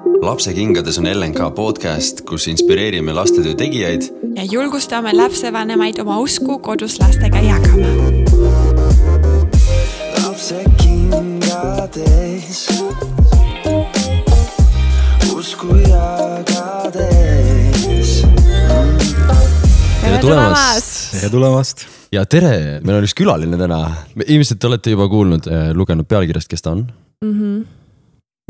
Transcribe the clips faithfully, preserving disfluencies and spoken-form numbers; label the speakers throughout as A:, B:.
A: Lapsekingades on L N K podcast, kus inspireerime lastetöö tegijaid
B: ja julgustame lapsevanemaid oma usku kodus lastega jagama. Lapsekingades usku jagades.
A: Tere tulemast!
C: Tere tulemast!
A: Ja tere! Meil on üks külaline täna. Ilmselt olete juba kuulnud, lugenud pealkirjast, kes ta on?
B: Mm-hmm.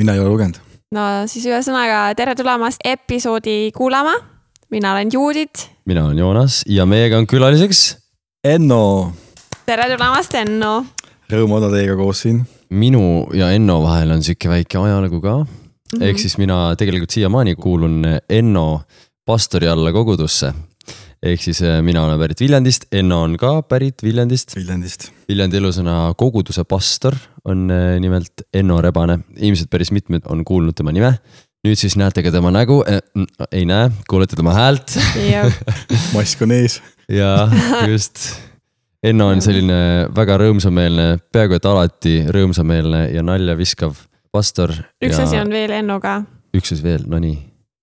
C: Mina ei ole lugenud.
B: No siis ühesõnaga tere tulemast episoodi kuulama. Mina olen Juudit.
A: Mina olen Joonas ja meiega on külaliseks
C: Enno.
B: Tere tulemast, Enno.
C: Rõõm olla teiega koos siin.
A: Minu ja Enno vahel on siuke väike ajalugu ka. Mm-hmm. Ehk siis mina tegelikult siiamaani kuulun Enno pastori alla kogudusse. Ehk siis mina olen pärit Viljandist, Enno on ka pärit Viljandist.
C: Viljandist.
A: Viljandi elusõna koguduse pastor on nimelt Enno Rebane. Ilmselt päris mitmed on kuulnud tema nime. Nüüd siis näete ka tema nägu. Ei näe, kuulete tema häält.
C: Mask on ees.
A: Ja just. Enno on selline väga rõõmsameelne, peaaegu et alati rõõmsameelne ja nalja viskav pastor.
B: Üks
A: ja...
B: asi on veel Ennoga.
A: Üks asi veel, no nii.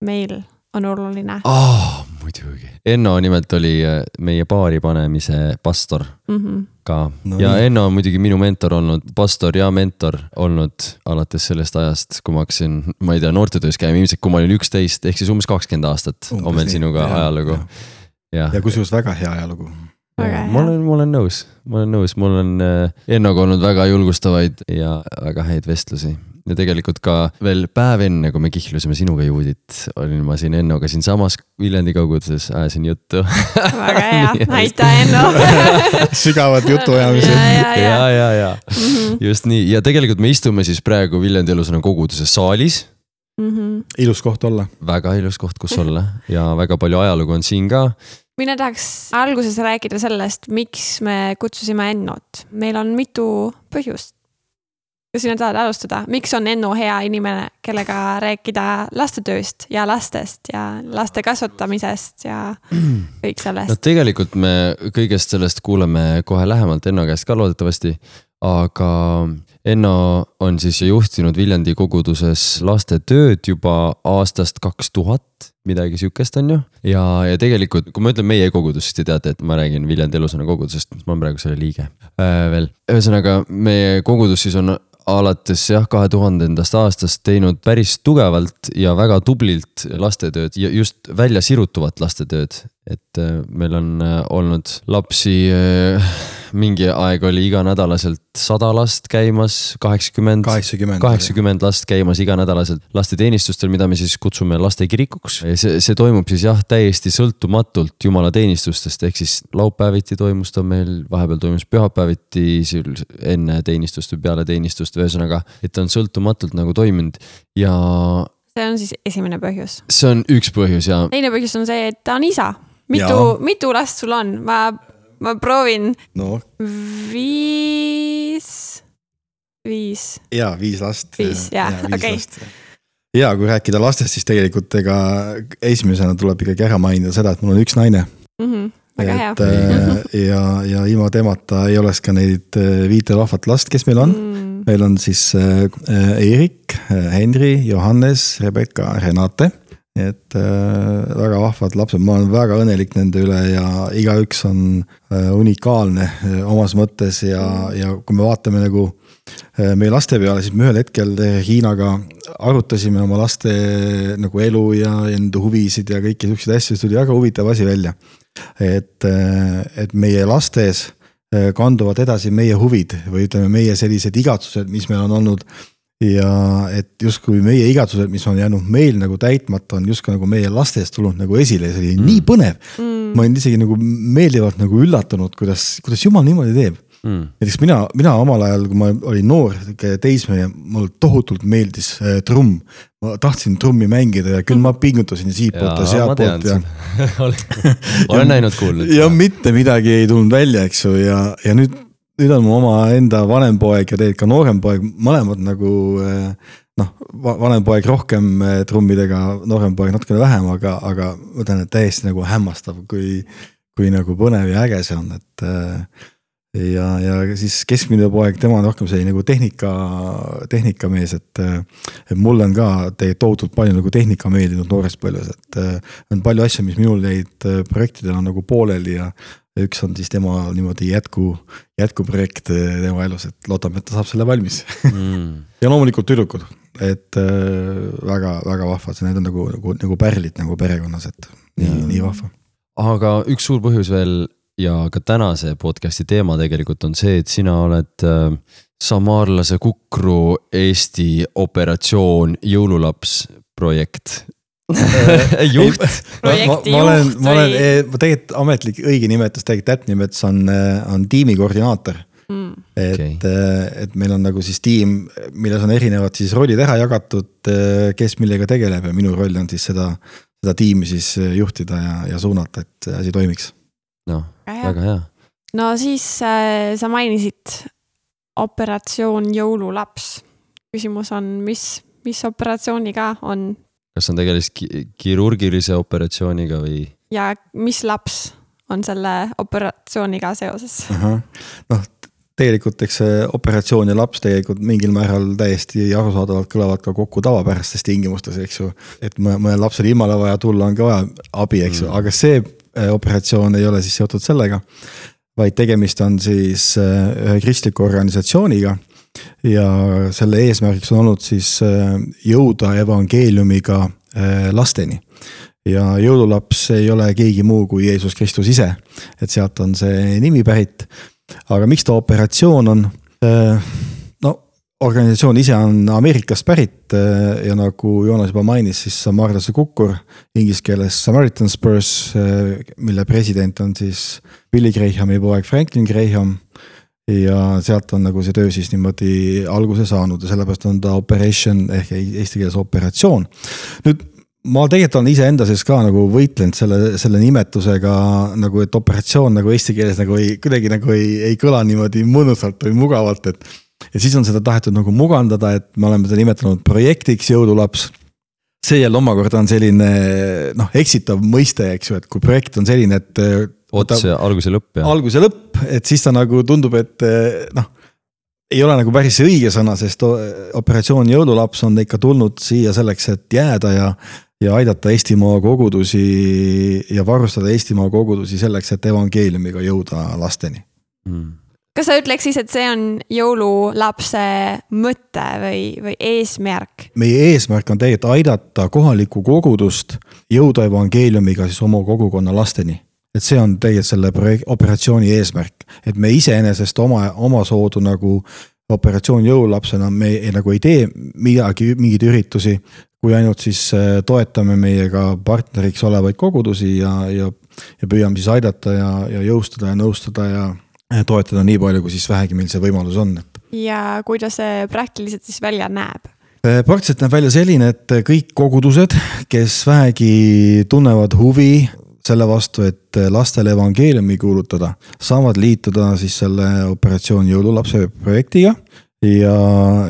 B: Meil on oluline.
A: Oh, muidugi. Enno nimelt oli meie paari panemise pastor
B: mm-hmm.
A: ka.
C: No,
A: ja
C: nii.
A: Enno on muidugi minu mentor olnud, pastor ja mentor olnud alates sellest ajast, kui ma hakkasin, ma ei tea, noortetöös käima, ilmselt kui ma olin üksteist, ehk siis umbes kakskümmend aastat umbes on meil nii. Sinuga ja, ajalugu.
C: Ja, ja. ja kusjuures väga hea ajalugu.
B: Väga
A: ma olen, ma olen nõus, ma olen nõus, mul on Ennoga olnud väga julgustavaid ja väga häid vestlusi. Ja tegelikult ka veel päev enne, kui me kihlusime sinuga Juudit, olin ma siin Ennoga siin samas Viljandi kauguduses, ajasin juttu.
B: Väga hea, näita Enno.
C: Sügavad jutuajamised.
B: Ja, ja, ja.
A: ja, ja, ja.
B: Mm-hmm.
A: Just nii. Ja tegelikult me istume siis praegu Viljandi elusõna koguduse saalis.
B: Mm-hmm.
C: Ilus koht olla.
A: Väga ilus koht, kus olla. Ja väga palju ajalugu on siin ka.
B: Mina tahaks alguses rääkida sellest, miks me kutsusime Ennot. Meil on mitu põhjust. Kas sina tahad alustada? Miks on Enno hea inimene, kellega rääkida lastetööst ja lastest ja laste kasvatamisest ja kõik sellest?
A: No tegelikult me kõigest sellest kuuleme kohe lähemalt Enno käest ka loodetavasti, aga Enno on siis juhtinud Viljandi koguduses lastetööd juba aastast kaks tuhat, midagi sükest on ju. Ja, ja tegelikult, kui ma ütlen meie kogudus, siis te teate, et ma räägin Viljandi elusõna kogudusest, ma olen praegu selle liige äh, veel. Ühesõnaga, meie kogudus siis on alates jah, kahe tuhandendast aastast teinud päris tugevalt ja väga tublilt lastetööd ja just välja sirutuvat lastetööd. Et meil on olnud lapsi, mingi aeg oli iganädalaselt sada last käimas, kaheksakümmend,
C: kaheksakümmend,
A: kaheksakümmend last käimas iganädalaselt lasteteenistustel, mida me siis kutsume lastekirikuks. See, see toimub siis jah, täiesti sõltumatult jumala teenistustest, ehk siis laupäeviti toimus ta meil, vahepeal toimus pühapäeviti, enne teenistust või peale teenistust, ühesõnaga, et ta on sõltumatult nagu toiminud ja...
B: See on siis esimene põhjus.
A: See on üks põhjus ja...
B: Teine põhjus on see, et ta on isa. Mitu, mitu last sul on? Ma, ma proovin
C: no.
B: viis, viis.
C: Ja, viis last.
B: Viis, ja,
C: ja, viis
B: okei.
C: Last. Ja, kui rääkida lastest, siis tegelikult ega esimesena tuleb ikkagi ära mainida seda, et mul on üks naine.
B: Mm-hmm. Väga hea.
C: Et, ja, ja ilma temata ei oleks ka neid viite lahvat last, kes meil on. Mm. Meil on siis Erik, Henri, Johannes, Rebecca, Renate. Et äh, väga vahvad lapsed, ma olen väga õnnelik nende üle ja igaüks on äh, unikaalne äh, omas mõttes ja, ja kui me vaatame nagu äh, meie laste peale, siis me ühel hetkel Hiinaga arutasime oma laste nagu elu ja enda huvisid ja kõiki selliseid asju, siis tuli väga huvitav asi välja. Et, äh, et meie lastes äh, kanduvad edasi meie huvid või ütleme meie sellised igatsused, mis meil on olnud ja et justkui meie igatsused, mis on jäänud meil nagu täitmata, on justkui nagu meie lastest tulnud nagu esile, see oli mm. nii põnev. Mm. Ma olen isegi nagu meeldivalt nagu üllatunud, kuidas, kuidas Jumal niimoodi teeb. Mm. Näiteks mina, mina omal ajal, kui ma olin noor teismeline, mul tohutult meeldis äh, trumm. Ma tahtsin trummi mängida ja küll ma pingutasin siit poolt ja sealt poolt. Ja...
A: olen näinud kuulnud.
C: Ja mitte midagi ei tulnud välja, eks ju, ja, ja nüüd Nüüd on mu oma enda vanem poeg ja tegelikult ka noorem poeg, mõlemad nagu, noh, vanem poeg rohkem trummidega, noorem poeg natukene vähem, aga, aga ma tean, et täiesti nagu hämmastav, kui, kui nagu põnev ja äge see on, et ja, ja siis keskmine poeg, tema on rohkem selline nagu tehnika, tehnikamees, et, et mul on ka tegelikult tohutult palju nagu tehnika meeldinud noorest põlves, et on palju asju, mis minul neid projektidel on nagu pooleli ja üks on siis tema niimoodi jätku, jätkuprojekt tema elus, et loodame, et ta saab selle valmis. Mm. ja loomulikult tüdrukud, et väga, väga vahvad, need on nagu, nagu, nagu pärlid nagu perekonnas, et nii, nii vahva.
A: Aga üks suur põhjus veel ja ka tänase podcasti teema tegelikult on see, et sina oled äh, Samaarlase Kukru Eesti operatsioon jõululaps projekt. juht.
B: projekti
C: ma, ma olen,
B: juht
C: ma olen,
B: või?
C: ma tegelikult ametlik õige nimetus, tegelikult täpne nimetus on, on tiimi koordinaator. Mm. Et, okay. et meil on nagu siis tiim, milles on erinevad siis rollid ära jagatud, kes millega tegeleb ja minu roll on siis seda, seda tiimi siis juhtida ja, ja suunata, et asi toimiks.
A: No, väga hea.
B: No siis äh, sa mainisid operatsioon jõululaps. Küsimus on, mis, mis operatsiooniga on?
A: Kas on tegelis kirurgilise operatsiooniga või?
B: Ja mis laps on selle operatsiooniga seoses?
C: Aha. No, tegelikult eks operatsioon ja laps tegelikult mingil määral täiesti arusaadavalt kõlavad ka kokku tavapärastes tingimustes, eks ju. Et mõne lapsel ilmale vaja tulla on ka vaja abi, eks ju, mm. aga see operatsioon ei ole siis seotud sellega, vaid tegemist on siis ühe kristliku organisatsiooniga ja selle eesmärgiks on olnud siis jõuda evangeeliumiga lasteni. Ja jõululaps ei ole keegi muu kui Jeesus Kristus ise, et sealt on see nimi pärit. Aga miks ta operatsioon on? No, organisatsioon ise on Ameerikast pärit ja nagu Joonas juba mainis, siis Samaarlase Kukur, inglise keeles Samaritan Spurs, mille president on siis Billy Grahami poeg Franklin Graham ja sealt on nagu see töö siis niimoodi alguse saanud ja sellepärast on ta operation ehk eesti keeles operatsioon. Nüüd ma tegelikult olen ise enda sees ka nagu võitlenud selle, selle nimetusega nagu, et operatsioon nagu eesti keeles nagu ei, kuidagi nagu ei, ei kõla niimoodi mõnusalt või mugavalt, et ja siis on seda tahetud nagu mugandada, et me oleme seda nimetanud projektiks jõululaps. See jälle omakorda on selline noh, eksitav mõiste, eks ju, et kui projekt on selline, et
A: ots ja algus ja lõpp. Ja.
C: Algus ja lõpp, et siis ta nagu tundub, et noh, ei ole nagu päris õige sõna, sest operatsioon jõululaps on ikka tulnud siia selleks, et jääda ja ja aidata Eestimaa kogudusi ja varustada Eestimaa kogudusi selleks, et evangeeliumiga jõuda lasteni.
B: Mm. Kas sa ütleks siis, et see on jõululapse mõte või, või eesmärk?
C: Meie eesmärk on tegelikult aidata kohalikku kogudust jõuda evangeeliumiga siis oma kogukonna lasteni. Et see on tegelikult selle projekt, operatsiooni eesmärk. Et me iseenesest oma, oma soodu nagu operatsioon jõululapsena me ei, nagu ei tee midagi, mingid üritusi, kui ainult siis toetame meiega partneriks olevaid kogudusi ja, ja, ja püüame siis aidata ja, ja jõustada ja nõustada ja toetada nii palju, kui siis vähegi meil see võimalus on.
B: Ja kuidas see praktiliselt siis välja näeb?
C: Praktiliselt näeb välja selline, et kõik kogudused, kes vähegi tunnevad huvi selle vastu, et lastele evangeeliumi kuulutada, saavad liituda siis selle operatsioon jõululapse projektiga ja,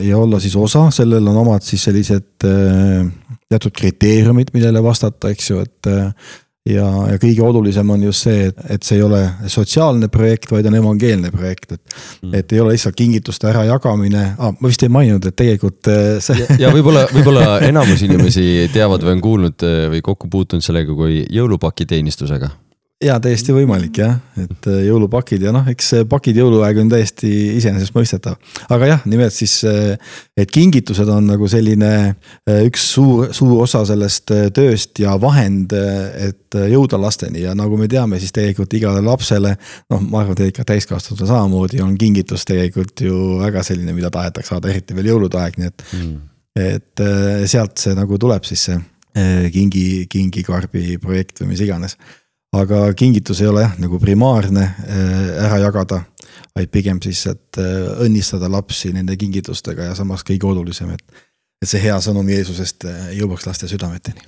C: ja olla siis osa, sellel on omad siis sellised teatud kriteeriumid, millele vastata, eks ju, et ja, ja kõige olulisem on just see, et, et see ei ole sotsiaalne projekt, vaid on evangeelne projekt, et, mm. et ei ole lihtsalt kingituste ära jagamine. Ah, ma vist ei maininud, et tegelikult see...
A: Ja, ja võib-olla, võib-olla enamus inimesi teavad või on kuulnud või kokku puutunud sellega kui jõulupaki teenistusega.
C: Ja täiesti võimalik jah, et jõulupakid ja noh, eks pakid jõuluaeg on täiesti iseenesest mõistetav. Aga jah, nimelt siis, et kingitused on nagu selline üks suur, suur osa sellest tööst ja vahend, et jõuda lasteni ja nagu me teame, siis tegelikult igale lapsele, noh, ma arvan, et ikka täiskasvanud samamoodi on kingitus tegelikult ju väga selline, mida tahetakse saada, eriti veel jõuludaeg, nii et, mm. et sealt see nagu tuleb siis see kingi, kingikarbi projekt või mis iganes. Aga kingitus ei ole jah, nagu primaarne ära jagada, vaid pigem siis, et õnnistada lapsi nende kingitustega ja samas kõige olulisem, et, et see hea sõnum Jeesusest jõuaks laste südameteni.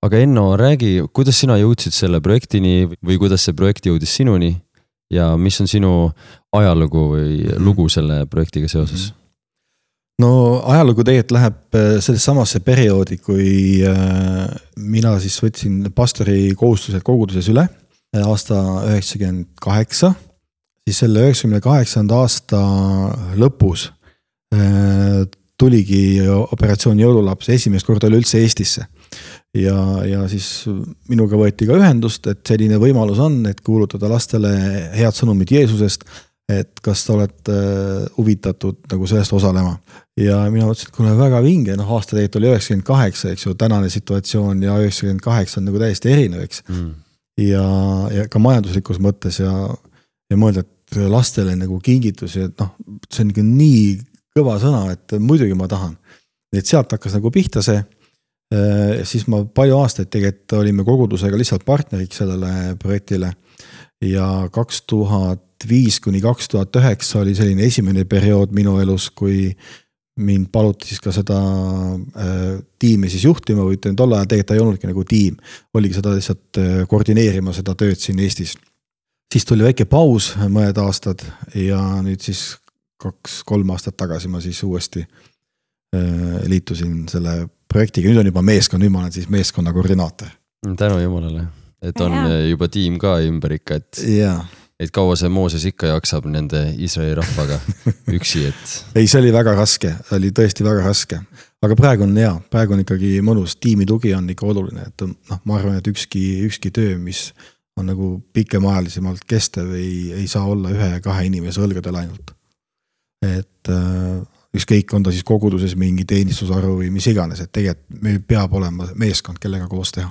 A: Aga Enno, räägi, kuidas sina jõudsid selle projektini või kuidas see projekt jõudis sinuni ja mis on sinu ajalugu või lugu selle projektiga seoses?
C: No ajalugu tegelikult läheb sellest samasse perioodi, kui mina siis võtsin pastori kohustused koguduses üle aasta üheksakümmend kaheksa. siis selle üheksakümne kaheksanda aasta lõpus tuligi operatsioon Jõululaps esimest korda oli üldse Eestisse. Ja, ja siis minuga võeti ka ühendust, et selline võimalus on, et kuulutada lastele head sõnumid Jeesusest, et kas sa oled huvitatud nagu sellest osalema. Ja mina mõtlesin, et kuna väga vinge, noh aasta tegelikult oli üheksakümmend kaheksa, eks ju, tänane situatsioon ja üheksakümmend kaheksa on nagu täiesti erinev, eks. Mm. Ja, ja ka majanduslikus mõttes ja, ja mõelda, et lastele nagu kingitusi, et noh, see on nagu nii kõva sõna, et muidugi ma tahan. Et sealt hakkas nagu pihta see, siis ma palju aastaid tegelikult olime kogudusega lihtsalt partneriks sellele projektile ja kaks tuhat viis kuni kaks tuhat üheksa oli selline esimene periood minu elus, kui mind paluti siis ka seda äh, tiimi siis juhtima või ütlen, tol ajal tegelikult ei olnudki nagu tiim, oligi seda lihtsalt koordineerima seda tööd siin Eestis. Siis tuli väike paus mõned aastad ja nüüd siis kaks-kolm aastat tagasi ma siis uuesti äh, liitusin selle projektiga, nüüd on juba meeskond, nüüd ma olen siis meeskonna koordinaator.
A: Tänu jumalale, et on ja. Juba tiim ka ümber ikka, et,
C: ja.
A: Et kaua see Mooses ikka jaksab nende Iisraeli rahvaga üksi, et...
C: Ei, see oli väga raske, oli tõesti väga raske, aga praegu on hea, praegu on ikkagi mõnus, tiimi tugi on ikka oluline, et noh, ma arvan, et ükski, ükski töö, mis on nagu pikemaajalisemalt kestev, ei, ei saa olla ühe ja kahe inimese õlgadel ainult. Et... ükskõik on ta siis koguduses mingi teenistusarvu või mis iganes, et tegelikult meil peab olema meeskond, kellega koos teha.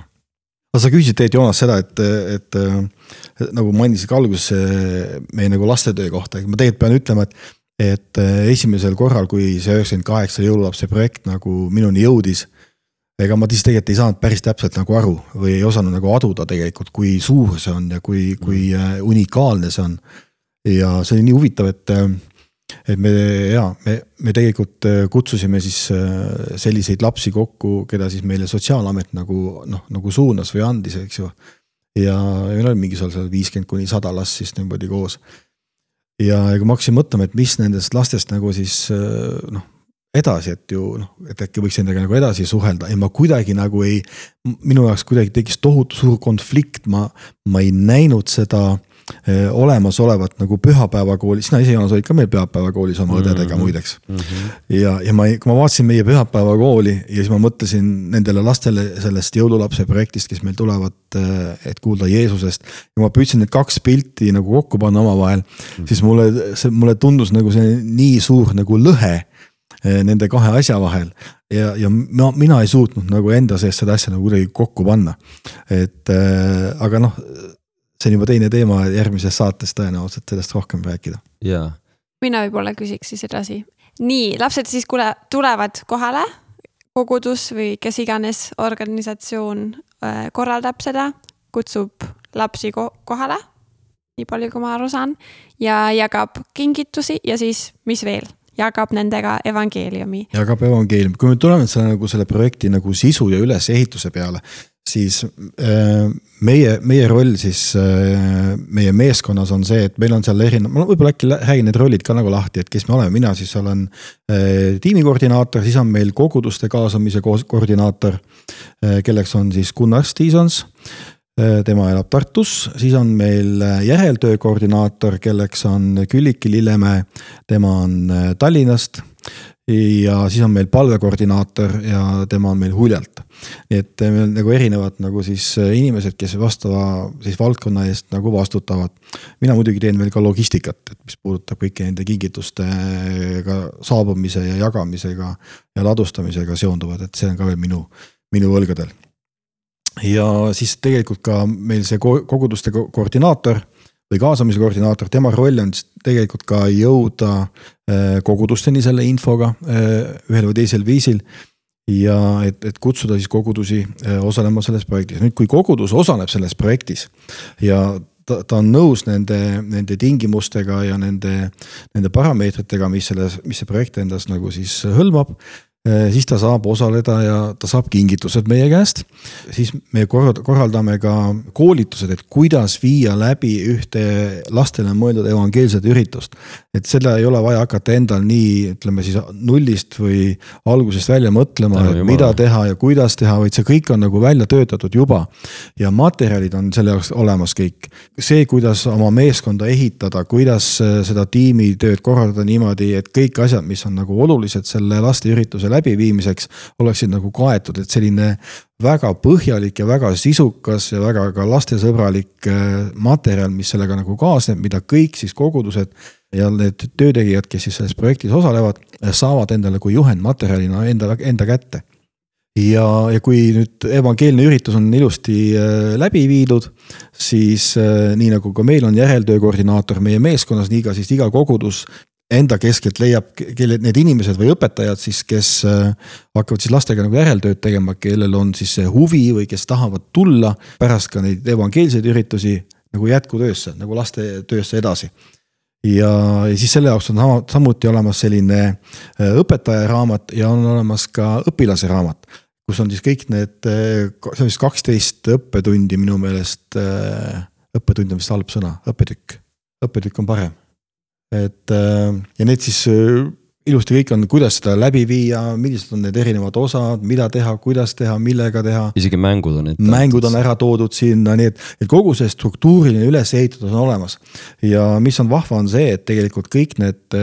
C: Aga sa küsisid teed Joonas seda, et, et, et nagu mainisid ka alguses meie nagu lastetöö kohta, ma tegelikult pean ütlema, et, et esimesel korral, kui see üheksakümmend kaheksa jõululapse projekt nagu minuni jõudis, ega ma siis tegelikult ei saanud päris täpselt nagu aru või ei osanud nagu aduda tegelikult, kui suur see on ja kui, kui unikaalne see on. Ja see oli nii huvitav, et et me, ja, me, me tegelikult kutsusime siis selliseid lapsi kokku, keda siis meile sotsiaalamet nagu, noh, nagu suunas või andis, eks ju. Ja meil oli mingi seal viiskümmend kuni sada last siis niimoodi koos. Ja kui ma hakkasin mõtlema, et mis nendest lastest nagu siis noh, edasi, et ju, noh, et äkki võiks nendega nagu edasi suhelda. Ja ma kuidagi nagu ei, minu jaoks kuidagi tekis tohutu suur konflikt, ma, ma ei näinud seda olemas olevat nagu pühapäevakooli, sina ise Joonas olid ka meil pühapäevakoolis oma õdedega muideks. Mm-hmm. Ja, ja ma, kui ma vaatasin meie pühapäevakooli ja siis ma mõtlesin nendele lastele sellest jõululapse projektist, kes meil tulevad, et kuulda Jeesusest. Ja ma püüdsin need kaks pilti nagu kokku panna oma vahel, mm-hmm. siis mulle, see, mulle tundus nagu see nii suur nagu lõhe nende kahe asja vahel. Ja, ja ma, mina ei suutnud nagu enda sees seda asja nagu kuidagi kokku panna. Et, aga noh, see on juba teine teema järgmises saates tõenäoliselt sellest rohkem rääkida.
A: Yeah.
B: Mina võib-olla küsiks siis edasi. Nii, lapsed siis kule, tulevad kohale, kogudus või kes iganes organisatsioon korraldab seda, kutsub lapsi kohale, nii palju kui ma aru saan, ja jagab kingitusi ja siis mis veel? Jagab nendega evangeeliumi.
C: Jagab evangeeliumi. Kui me tuleme selle, nagu selle projekti nagu sisu ja ülesehituse peale, siis meie, meie roll siis meie meeskonnas on see, et meil on seal erinev, ma võib-olla äkki räägin need rollid ka nagu lahti, et kes me oleme, mina siis olen tiimikoordinaator, siis on meil koguduste kaasamise koordinaator, kelleks on siis Gunnar Stiisons, tema elab Tartus, siis on meil järeltöö koordinaator, kelleks on Külliki Lillemäe, tema on Tallinnast ja siis on meil palvekoordinaator ja tema on meil Huljalt. Nii et meil nagu erinevad nagu siis inimesed, kes vastava siis valdkonna eest nagu vastutavad. Mina muidugi teen veel ka logistikat, et mis puudutab kõiki nende kingitustega saabumise ja jagamisega ja ladustamisega seonduvad, et see on ka veel minu, minu õlgadel. Ja siis tegelikult ka meil see koguduste koordinaator või kaasamise koordinaator, tema roll on tegelikult ka jõuda kogudusteni selle infoga ühel või teisel viisil ja et, et kutsuda siis kogudusi osalema selles projektis. Nüüd, kui kogudus osaleb selles projektis ja ta, ta on nõus nende, nende tingimustega ja nende, nende parameetritega, mis, selles, mis see projekt endas nagu siis hõlmab, siis ta saab osaleda ja ta saab kingitused meie käest. Siis me korraldame ka koolitused, et kuidas viia läbi ühte lastele mõeldud evangeelset üritust. Et seda ei ole vaja hakata endal nii, ütleme siis nullist või algusest välja mõtlema, et mida teha ja kuidas teha, vaid see kõik on nagu välja töötatud juba. Ja materjalid on selle jaoks olemas kõik. See, kuidas oma meeskonda ehitada, kuidas seda tiimitööd korraldada niimoodi, et kõik asjad, mis on nagu olulised selle laste ürituse läbiviimiseks oleksid nagu kaetud, et selline väga põhjalik ja väga sisukas ja väga ka lastesõbralik materjal, mis sellega nagu kaasneb, mida kõik siis kogudused ja need töötegijad, kes siis selles projektis osalevad, saavad endale kui juhendmaterjalina enda, enda kätte. Ja, ja kui nüüd evangeelne üritus on ilusti läbi viidud, siis nii nagu ka meil on järeltöö koordinaator meie meeskonnas, nii ka siis iga kogudus enda keskelt leiab kelle, need inimesed või õpetajad siis, kes hakkavad siis lastega nagu järeltööd tegema, kellel on siis see huvi või kes tahavad tulla pärast ka neid evangeelseid üritusi nagu jätkutöösse, nagu laste töösse edasi. Ja, ja siis selle jaoks on samuti olemas selline õpetaja raamat ja on olemas ka õpilase raamat, kus on siis kõik need, see on siis kaksteist õppetundi minu meelest, õppetund on vist halb sõna, õppetükk, õppetükk on parem. Et, ja need siis ilusti kõik on, kuidas seda läbi viia, millised on need erinevad osad, mida teha, kuidas teha, millega teha.
A: Isegi mängud on.
C: Mängud on ära toodud sinna, nii et, et kogu see struktuuriline üles ehitatud on olemas. Ja mis on vahva on see, et tegelikult kõik need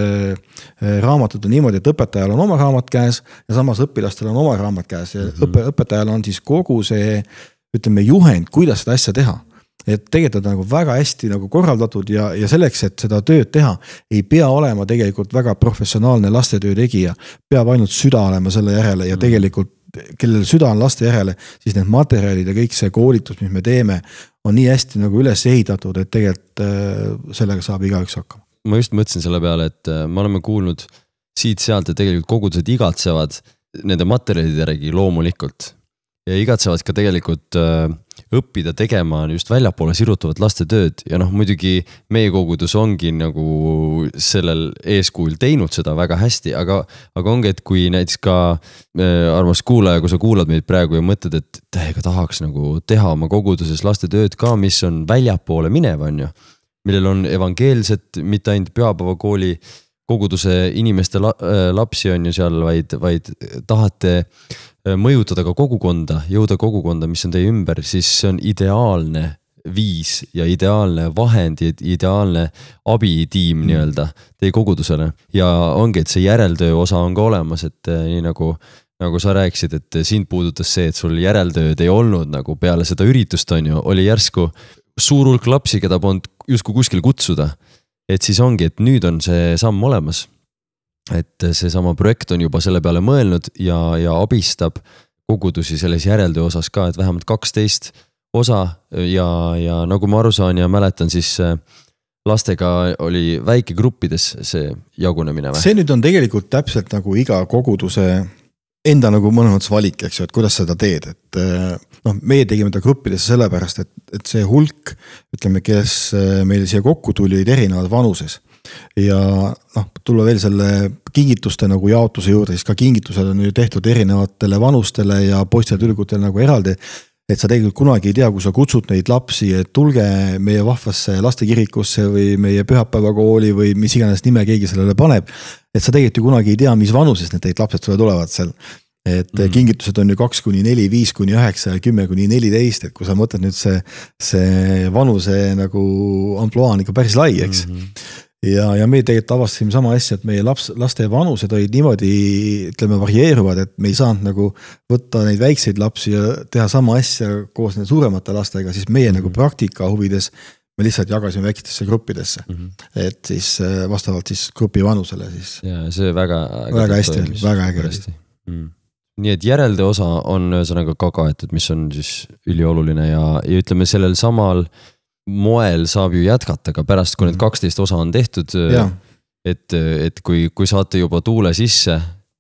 C: raamatud on niimoodi, et õpetajal on oma raamat käes ja samas õpilastel on oma raamat käes. Ja mm-hmm. õpe, õpetajal on siis kogu see, ütleme, juhend, kuidas seda asja teha. Et tegelikult on nagu väga hästi nagu korraldatud ja, ja selleks, et seda tööd teha, ei pea olema tegelikult väga professionaalne lastetöö tegija. Peab ainult süda olema selle järele ja tegelikult, kellel süda on laste järele, siis need materjalid ja kõik see koolitus, mis me teeme, on nii hästi nagu üles ehitatud, et tegelikult sellega saab igaüks hakkama.
A: Ma just mõtlesin selle peale, et me oleme kuulnud siit-sealt, et tegelikult kogudused igatsevad nende materjalide järgi loomulikult. Ja igatsevad ka tegelikult äh, õppida tegema just väljapoole sirutuvat laste tööd ja noh, muidugi meie kogudus ongi nagu sellel eeskuul teinud seda väga hästi, aga, aga ongi, et kui näiteks ka äh, armas kuulaja, kui sa kuulad meid praegu ja mõtled, et täiega tahaks nagu teha oma koguduses laste tööd ka, mis on väljapoole minev, on ju, millel on evangeelset, mitte ainult pühapäevakooli koguduse inimeste la, äh, lapsi on ju seal, vaid, vaid tahate mõjutada ka kogukonda, jõuda kogukonda, mis on teie ümber, siis see on ideaalne viis ja ideaalne vahend ja ideaalne abitiim mm. nii-öelda teie kogudusele. Ja ongi, et see järeltöö osa on ka olemas, et nii nagu, nagu sa rääkisid, et sind puudutas see, et sul järeltööd ei olnud nagu peale seda üritust on ju, oli järsku suur hulk lapsi, keda polnud justkui kuskil kutsuda. Et siis ongi, et nüüd on see samm olemas. Et see sama projekt on juba selle peale mõelnud ja, ja abistab kogudusi selles järeltöö osas ka, et vähemalt kaksteist osa ja, ja nagu ma aru saan ja mäletan, siis lastega oli väikegruppides see jagunemine.
C: See nüüd on tegelikult täpselt nagu iga koguduse enda nagu mõnes valik, eks ju, et kuidas seda teed, et noh, meie tegime ta gruppidesse sellepärast, et, et see hulk, ütleme, kes meil siia kokku tuli, olid erinevad vanuses. Ja noh, tulla veel selle kingituste nagu jaotuse juurde, siis ka kingitused on ju tehtud erinevatele vanustele ja poistele tüdrukutele nagu eraldi, et sa tegelikult kunagi ei tea, kui sa kutsud neid lapsi, et tulge meie vahvasse lastekirikusse või meie pühapäevakooli või mis iganes nime keegi sellele paneb, et sa tegelikult ju kunagi ei tea, mis vanuses need lapsed sulle tulevad seal. Et mm. kingitused on ju kaks kuni neli, viis kuni üheksa ja kümme kuni neliteist, et kui sa mõtled nüüd see, see vanuse nagu amploa on ikka päris lai, eks. Mm-hmm. Ja, ja me tegelikult avastasime sama asja, et meie laps, laste vanused olid niimoodi, ütleme, varieeruvad, et me ei saanud nagu võtta neid väikseid lapsi ja teha sama asja koos need suuremate lastega, siis meie mm-hmm. nagu praktika huvides me lihtsalt jagasime väikestesse gruppidesse, mm-hmm. et siis vastavalt siis grupi vanusele siis.
A: Ja see väga,
C: väga hästi, väga äge hästi.
A: Mm. Nii et järeltöö osa on ühesõnaga ka kaetud, mis on siis ülioluline ja, ja ütleme sellel samal moel saab ju jätkata ka pärast, kui need kaksteist osa on tehtud, et, et kui, kui saate juba tuule sisse.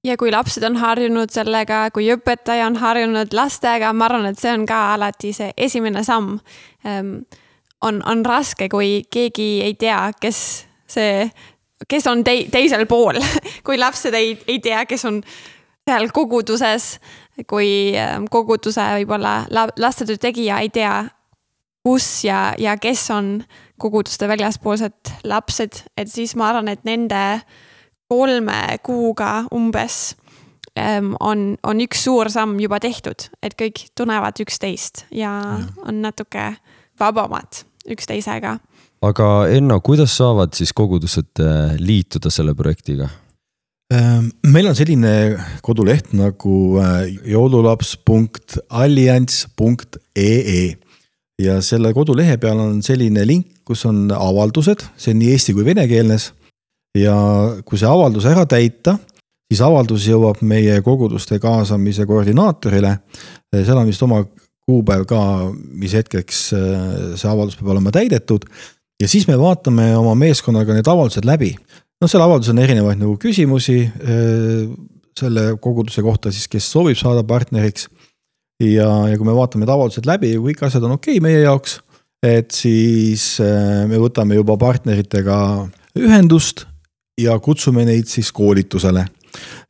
B: Ja kui lapsed on harjunud sellega, kui õpetaja on harjunud lastega, ma arvan, et see on ka alati see esimene samm. On, on raske, kui keegi ei tea, kes, see, kes on te, teisel pool, kui lapsed ei, ei tea, kes on seal koguduses, kui koguduse võib-olla lastetöö tegija ei tea, kus ja, ja kes on koguduste väljaspoolsed lapsed, et siis ma arvan, et nende kolme kuuga umbes on, on üks suur samm juba tehtud, et kõik tunnevad üksteist ja, ja. on natuke vabamad üksteisega.
A: Aga Enno, kuidas saavad siis kogudused liituda selle projektiga?
C: Meil on selline koduleht nagu joululaps punkt alliance punkt ee ee ja selle kodulehe peal on selline link, kus on avaldused, see on nii eesti kui venekeelnes ja kui see avaldus ära täita, siis avaldus jõuab meie koguduste kaasamise koordinaatorile, seal on vist oma kuupäev ka, mis hetkeks see avaldus peab olema täidetud ja siis me vaatame oma meeskonnaga need avaldused läbi. No selle avaldus on erinevaid nagu küsimusi selle koguduse kohta, siis kes soovib saada partneriks ja, ja kui me vaatame need avaldused läbi ja kõik asjad on okei meie jaoks, et siis me võtame juba partneritega ühendust ja kutsume neid siis koolitusele.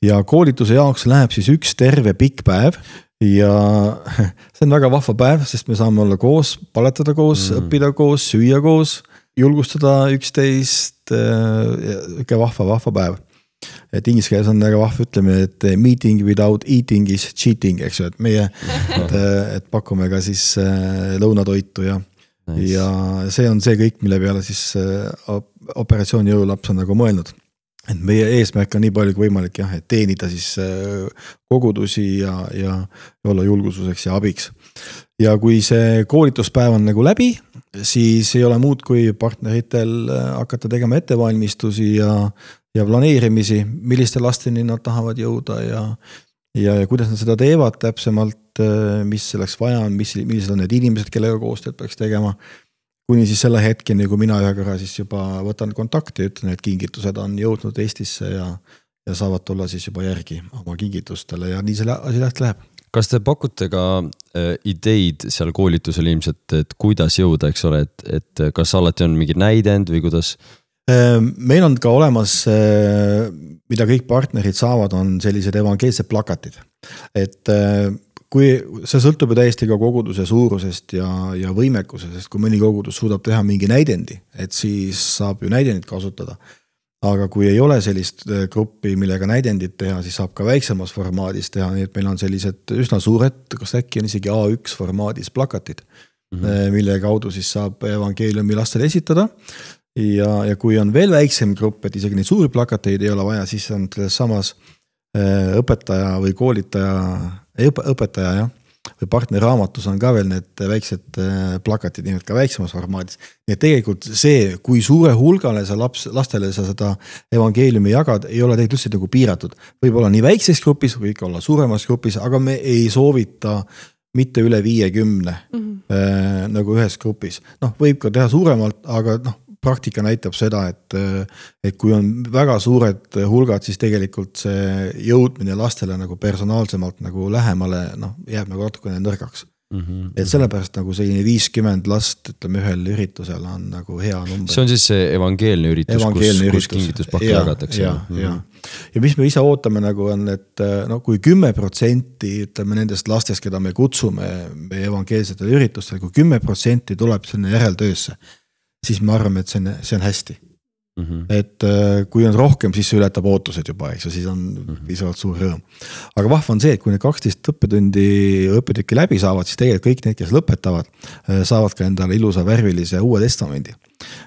C: Ja koolituse jaoks läheb siis üks terve pikk päev ja see on väga vahva päev, sest me saame olla koos, paletada koos, mm. õppida koos, süüa koos, julgustada üksteist, ikka vahva, vahva päev. Et inglise keeles on väga vahva ütlemine, et meeting without eating is cheating, eks ju, et meie, et, et pakume ka siis lõunatoitu ja, nice. Ja see on see kõik, mille peale siis operatsiooni jõulaps on nagu mõelnud. Et meie eesmärk on nii palju kui võimalik, jah, et teenida siis kogudusi ja, ja olla julgususeks ja abiks. Ja kui see koolituspäev on nagu läbi, siis ei ole muud kui partneritel hakata tegema ettevalmistusi ja, ja planeerimisi, milliste lasteni nad tahavad jõuda ja, ja, ja kuidas nad seda teevad täpsemalt, mis selleks vaja on, mis, millised on need inimesed, kellega koostööd peaks tegema. Kuni siis selle hetkeni, kui mina ühe korra siis juba võtan kontakti ja ütlen, et kingitused on jõudnud Eestisse ja, ja saavad tulla siis juba järgi oma kingitustele ja nii selle asi läht läheb.
A: Kas te pakute ka äh, ideid seal koolitusel ilmselt, et kuidas jõuda, eks ole, et, et kas alati on mingi näidend või kuidas?
C: Meil on ka olemas, mida kõik partnerid saavad, on sellised evangeelsed plakatid. Et kui see sõltub ju täiesti ka koguduse suurusest ja, ja võimekusest, sest kui mõni kogudus suudab teha mingi näidendi, et siis saab ju näidendit kasutada. Aga kui ei ole sellist gruppi, millega näidendit teha, siis saab ka väiksemas formaadis teha, nii et meil on sellised üsna suured, kas äkki on isegi A üks formaadis plakatid, mm-hmm. mille kaudu siis saab evangeeliumi lastele esitada. Ja, ja kui on veel väiksem grupp, et isegi neid suuri plakateid ei ole vaja, siis on samas õpetaja või koolitaja, õpetaja, jah, või partnerraamatus on ka veel need väiksed plakatid, nii et ka väiksemas formaadis. Nii et tegelikult see, kui suure hulgale sa laps, lastele sa seda evangeeliumi jagad, ei ole tegelikult üldse nagu piiratud. Võib olla nii väikses grupis, võib olla suuremas grupis, aga me ei soovita mitte üle viiekümne mm-hmm. äh, nagu ühes grupis. Noh, võib ka teha suuremalt, aga noh, praktika näitab seda, et, et kui on väga suured hulgad, siis tegelikult see jõudmine lastele nagu personaalsemalt nagu lähemale, noh, jääb nagu natukene nõrgaks. Mm-hmm. Et sellepärast nagu selline viiskümmend last, ütleme ühel üritusel on nagu hea number.
A: See on siis see evangeelne üritus, evangeelne kus, kus kingituspakke jagatakse.
C: Ja, ja. ja mis me ise ootame nagu on, et no, kui kümme protsenti ütleme nendest lastest, keda me kutsume meie evangeelsetele üritustele, kui kümme protsenti tuleb sinna järeltöösse, siis me arvame, et see on, see on hästi. Mm-hmm. Et kui on rohkem, siis see ületab ootused juba, eks, ja siis on mm-hmm. piisavalt suur rõõm. Aga vahva on see, et kui need kaksteist õppetundi õppetükki läbi saavad, siis tegelikult kõik need, kes lõpetavad, saavad ka endale ilusa värvilise uue testamendi,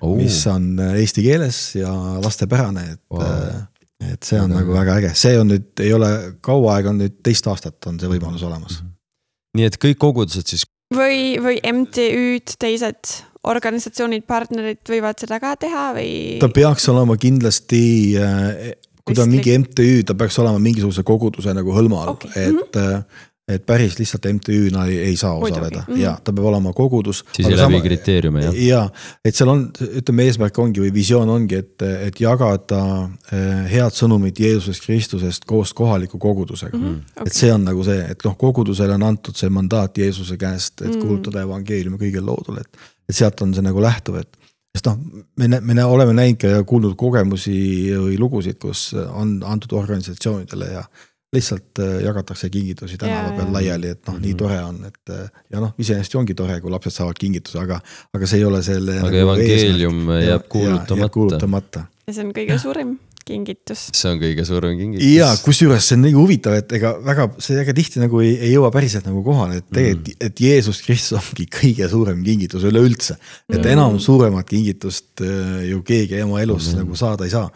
C: oh. mis on eesti keeles ja lastepärane, et, wow. et see on väga nagu väga äge. See on nüüd, ei ole kaua aega, on nüüd teist aastat on see võimalus olemas.
A: Mm-hmm. Nii et kõik kogudused siis
B: või, või M T Ü-d, teised organisatsioonid, partnerid võivad seda ka teha või?
C: Ta peaks olema kindlasti, kui ta on mingi M T Ü, ta peaks olema mingisuguse koguduse nagu hõlma all, okay. et, mm-hmm. et päris lihtsalt M T Ü-na ei, ei saa osaleda. Mm-hmm. Ja, ta peab olema kogudus.
A: Siis ei läbi kriteeriume, jah?
C: Ja, et seal on, ütleme, eesmärk ongi või visioon ongi, et, et jagada head sõnumit Jeesusest Kristusest koos kohaliku kogudusega. Mm-hmm. Okay. Et see on nagu see, et noh, kogudusele on antud see mandaat Jeesuse käest, et kuulutada evangeeliumi kõigil loodul, et et sealt on see nagu lähtuv, et sest noh, me, me oleme näinud ja kuulnud kogemusi või lugusid, kus on antud organisatsioonidele ja lihtsalt jagatakse kingitusi tänava peal laiali, et noh, nii tore on, et ja noh, iseenesest ongi tore, kui lapsed saavad kingituse, aga, aga see ei ole selle
A: aga nagu evangeelium eesmärk. jääb kuulutamata.
C: Ja, jääb kuulutamata.
B: Ja see on kõige suurim kingitus.
A: See on kõige suurim kingitus.
C: Ja kus juures see on nii huvitav, et ega väga, see väga tihti nagu ei, ei jõua päriselt nagu kohale, et tegelikult, mm. et Jeesus Kristus ongi kõige suurem kingitus üle üldse. Et mm. enam suuremat kingitust ju keegi oma elus mm. nagu saada ei saa.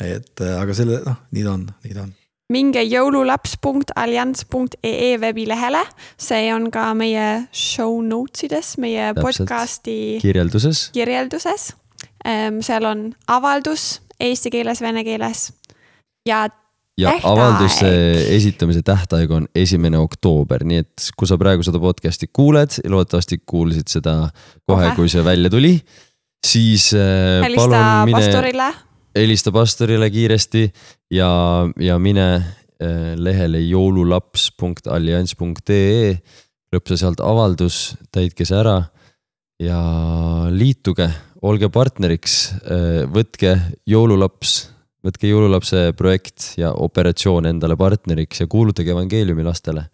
C: Et aga selle, noh, nii ta on, nii ta on.
B: Minge joululaps punkt allianz punkt e e veebilehele, see on ka meie show notesides, meie Täpselt. podcasti
A: kirjelduses.
B: kirjelduses. Seal on avaldus eesti keeles, vene keeles ja
A: ja tähtaeg. Avalduse esitamise tähtaeg on esimene oktoober, nii et kui sa praegu seda podcasti kuuled, loodetavasti kuulsid seda kohe, Ohe. kui see välja tuli, siis
B: Helista palun mine pastorile.
A: Helista pastorile kiiresti ja, ja mine lehele joululaps punkt allianz punkt e e, lõpsa sealt avaldus, täitke see ära ja liituge, olge partneriks, võtke joululaps, võtke joululapse projekt ja operatsioon endale partneriks ja kuulutage evangeeliumi lastele.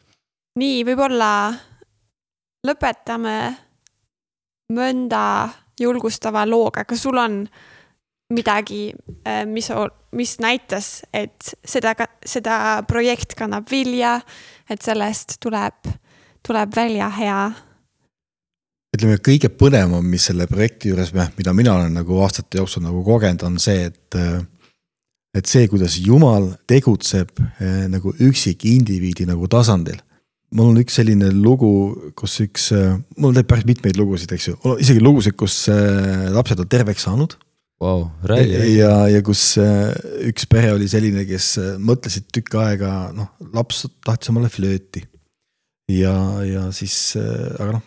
B: Nii, võib-olla lõpetame mõnda julgustava looga, kas sul on midagi, mis, mis näitas, et seda, seda projekt kannab vilja, et sellest tuleb, tuleb välja hea.
C: Ütleme, kõige põnevam, mis selle projekti juures, mida mina olen nagu aastate jooksul nagu kogenud, on see, et, et see, kuidas Jumal tegutseb nagu üksik indiviidi nagu tasandil. Mul on üks selline lugu, kus üks, mul teeb päris mitmeid lugusid, eks ju, isegi lugusid, kus lapsed on terveks saanud.
A: Wow, räägi, räägi.
C: Ja, ja kus üks pere oli selline, kes mõtlesid tükk aega, noh, laps tahtis omale flööti. Ja, ja siis, aga noh,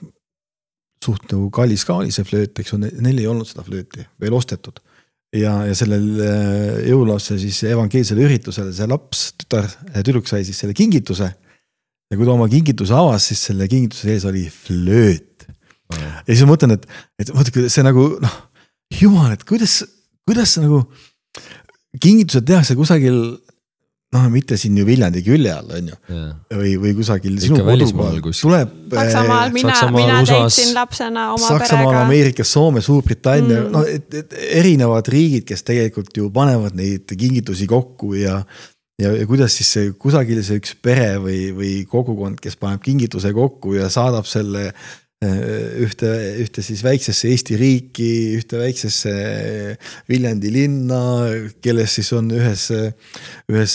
C: suht nagu kallis ka oli see flööt, eks on, neil ei olnud seda flööti, veel ostetud. Ja, ja sellel jõulapse siis evangeelsele üritusele see laps, tütar, tüdruk sai siis selle kingituse. Ja kui ta oma kingituse avas, siis selle kingituse ees oli flööt. Ja siis ma mõtlen, et, et mõtle, see nagu, noh, Jumal, et kuidas, kuidas nagu kingitused tehakse kusagil, noh, mitte siin ju Viljandi külje all, on ju, yeah. või, või kusagil
A: Ikka sinu kodumaal,
C: tuleb
B: Saksamaal, mina, mina teeksin lapsena oma
C: Saksamaal, perega. Saksamaal, Ameerikas, Soome, Suurbritannia, mm. no, et, et erinevad riigid, kes tegelikult ju panevad neid kingitusi kokku ja, ja, ja kuidas siis see, kusagil see üks pere või, või kogukond, kes paneb kingituse kokku ja saadab selle ühte, ühte siis väiksesse Eesti riiki, ühte väiksesse Viljandi linna, kelles siis on ühes, ühes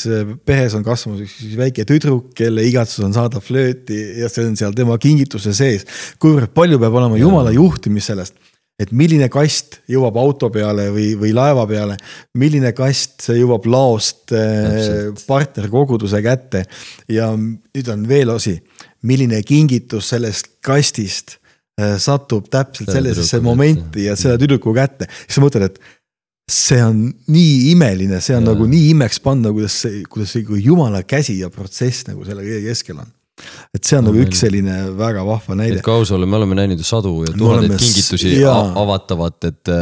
C: peres on kasvamas üks väike tüdruk, kelle igatsus on saada flööti ja see on seal tema kingituse sees. Kuivõrd palju peab olema Jumala juhtimis sellest, et milline kast jõuab auto peale või, või laeva peale, milline kast see jõuab laost Täpselt. partnerkoguduse kätte ja nüüd on veel osi, milline kingitus sellest kastist satub täpselt sellisesse momenti ja selle tüdruku kätte. Siis ma mõtlen, et see on nii imeline, see on ja. nagu nii imeks panna, kuidas see, kuidas see Jumala käsi ja protsess nagu selle kõige keskel on. Et see on no, nagu üks selline väga vahva näide.
A: Et kausole me oleme näinud sadu ja tuhandeid kingitusi ja. avatavat, et,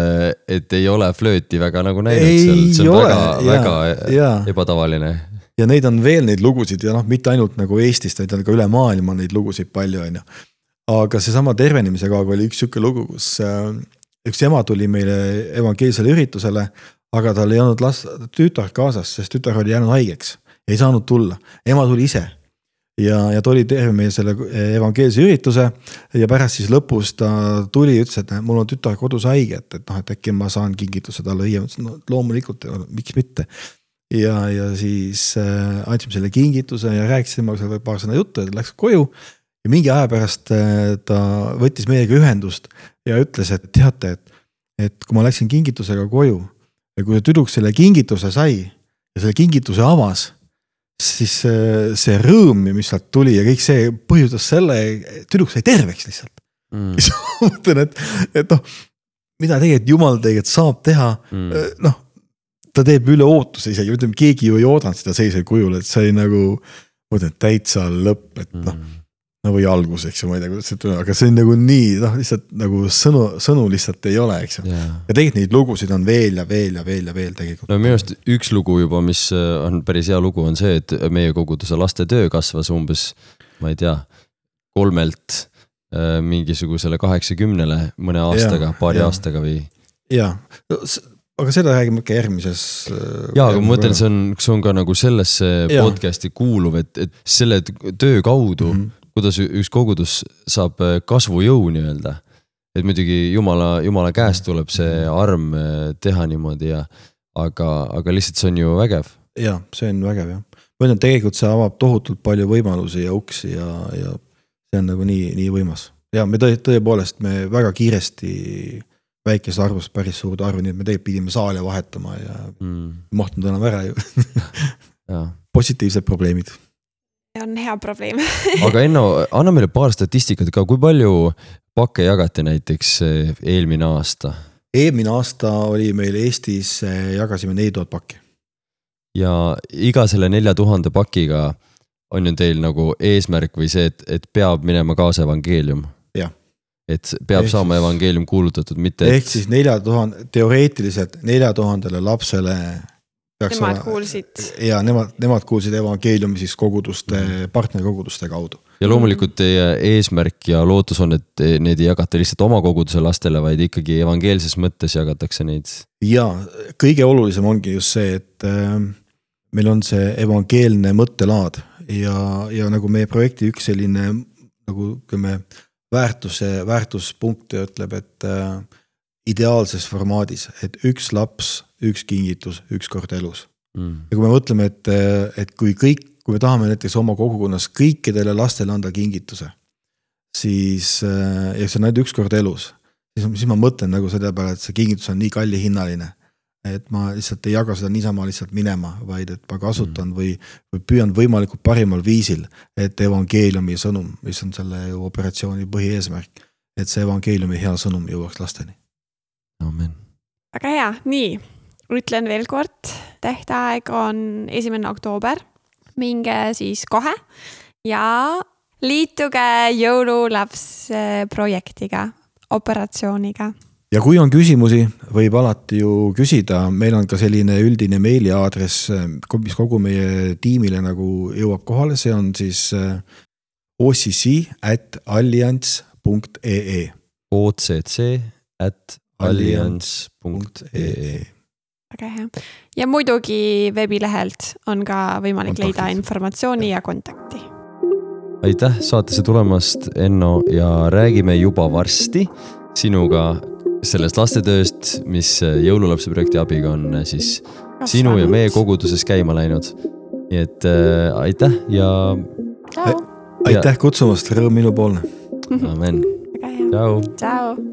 A: et ei ole flööti väga nagu näinud
C: ei
A: seal. See on
C: ole,
A: väga,
C: ja,
A: väga
C: ja.
A: ebatavaline.
C: Ja neid on veel neid lugusid ja noh, mitte ainult nagu Eestist, vaid on ka üle maailma neid lugusid palju on ju. Aga see sama tervenemise kaag oli üks sükke lugu, kus üks ema tuli meile evangeelsele üritusele, aga tal ei olnud last, tütar kaasas, sest tütar oli jäänud haigeks. Ei saanud tulla. Ema tuli ise. Ja, ja ta oli terve meie selle evangeelse ürituse ja pärast siis lõpus ta tuli ja ütles, et mul on tütar kodus haige, et, et, noh, et äkki ma saan kingituse talle õie. No, loomulikult, miks mitte. Ja, ja siis äh, andsime selle kingituse ja rääkisime seal paar sõna juttu, et läks koju ja mingi aja pärast äh, ta võttis meiega ühendust ja ütles, et teate, et, et kui ma läksin kingitusega koju ja kui tüdruk selle kingituse sai ja selle kingituse avas, siis äh, see rõõm, mis sealt tuli ja kõik see põhjustas selle, tüdruk sai terveks lihtsalt. Mm. Siis ma mõtlen, et, et noh, mida tegelikult Jumal tegelikult saab teha, mm. noh, ta teeb üle ootuse isegi, ütleme, keegi ju ei oodanud seda seisel kujul, et see oli nagu, mõtlen, täitsa lõpp, et noh, no või algus, eks ju, ma ei tea, kuidas see tuleb, aga see on nagu nii, noh, lihtsalt nagu sõnu, sõnu lihtsalt ei ole, eks ju.
A: yeah.
C: ja tegelikult neid lugusid on veel ja veel ja veel ja veel tegelikult.
A: no minu arust üks lugu juba, mis on päris hea lugu, on see, et meie koguduse laste töö kasvas umbes, ma ei tea, kolmelt äh, mingisugusele kaheksakümnele mõne aastaga, ja, paari ja. aastaga või.
C: jaa, aga seda räägime ikka järgmises.
A: jaa, aga ma mõtlen, see on, see on ka nagu sellesse ja. podcasti kuuluv, et, et selle töö kaudu mm -hmm. kuidas üks kogudus saab kasvujõu nii-öelda. Et muidugi jumala, jumala käest tuleb see arm teha niimoodi ja aga, aga lihtsalt see on ju vägev.
C: Ja, see on vägev jah. Ma ütlen, tegelikult see avab tohutult palju võimalusi ja uksi ja, ja see on nagu nii, nii võimas. Ja me tõe, tõepoolest me väga kiiresti väikest arvust päris suurt arvu, nii et me tegelikult pidime saale vahetama ja mm. mahtunud enam ära ju. Positiivsed probleemid.
B: On hea probleem.
A: aga Enno, anna meile paar statistikat ka, kui palju pakke jagati näiteks eelmine aasta?
C: Eelmine aasta oli meil Eestis, jagasime neli tuhat pakki.
A: Ja iga selle nelja tuhande pakiga on ju teil nagu eesmärk või see, et, et peab minema kaasa evangeelium?
C: Jah.
A: Et peab ehk saama siis, evangeelium kuulutatud, mitte
C: ehk et... siis nelja tuhande, teoreetiliselt nelja tuhandele lapsele
B: nemad olla, kuulsid.
C: Ja nemad, nemad kuulsid evangeeliumi siis koguduste, partnerkoguduste kaudu.
A: Ja loomulikult teie eesmärk ja lootus on, et need ei jagata lihtsalt oma koguduse lastele, vaid ikkagi evangeelses mõttes jagatakse neid. Ja
C: kõige olulisem ongi just see, et äh, meil on see evangeelne mõttelaad ja, ja nagu meie projekti üks selline nagu kümme väärtuse, väärtuspunkt ütleb, et äh, ideaalses formaadis, et üks laps, üks kingitus, üks kord elus. Mm. Ja kui me mõtleme, et, et kui kõik, kui me tahame näiteks oma kogukonnas kõikidele lastele anda kingituse, siis, ja see on ainult üks kord elus, siis, siis ma mõtlen nagu selle peale, et see kingitus on nii kalli hinnaline, et ma lihtsalt ei jaga seda niisama lihtsalt minema, vaid et ma kasutan mm. või, või püüan võimalikult parimal viisil, et evangeeliumi sõnum, mis on selle operatsiooni põhieesmärk, et see evangeeliumi hea sõnum jõuaks lasteni.
A: Amen.
B: Väga hea, nii, ütlen veel kord, tähtaeg on esimene oktoober, minge siis kohe ja liituge jõululaps projektiga, operatsiooniga.
C: Ja kui on küsimusi, võib alati ju küsida, meil on ka selline üldine meiliaadress, mis kogu meie tiimile nagu jõuab kohale, see on siis o c c at alliance punkt e e
A: o c c at alliance punkt e e
B: Väga hea. Ja muidugi veebilehelt on ka võimalik kontakti. Leida informatsiooni ja kontakti.
A: Aitäh saatesse tulemast, Enno, ja räägime juba varsti sinuga sellest lastetööst, mis jõululapse projekti abiga on siis Kas sinu ja meie koguduses käima läinud. Nii et äh, aitäh ja...
B: Ciao.
C: Aitäh kutsumast, rõõm minu poolne.
A: Amen.
B: Väga hea.
A: Ciao.
B: Ciao.